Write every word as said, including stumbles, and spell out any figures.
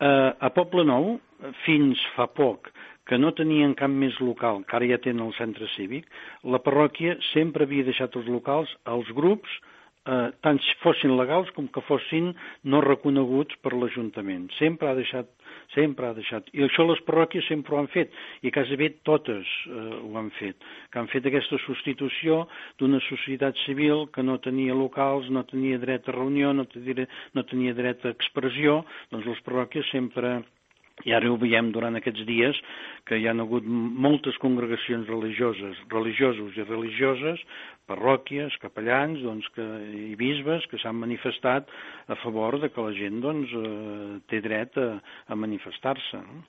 A Poble Nou, fins fa poc, que no tenien cap més local, que ara ja tenen el centre cívic, la parròquia sempre havia deixat els locals als grups, eh, tant fossin legals com que fossin no reconeguts per l'Ajuntament. Sempre ha deixat, sempre ha deixat. I això les parròquies sempre ho han fet, i quasi bé totes eh, ho han fet, que han fet aquesta substitució d'una societat civil que no tenia locals, no tenia dret a reunió, no tenia, no tenia dret a expressió, doncs les parròquies sempre... I ara ho veiem durant aquests dies, que hi ha hagut moltes congregacions religioses, religiosos i religioses, parròquies, capellans doncs, que, i bisbes que s'han manifestat a favor de que la gent doncs, eh, té dret a, a manifestar-se. No?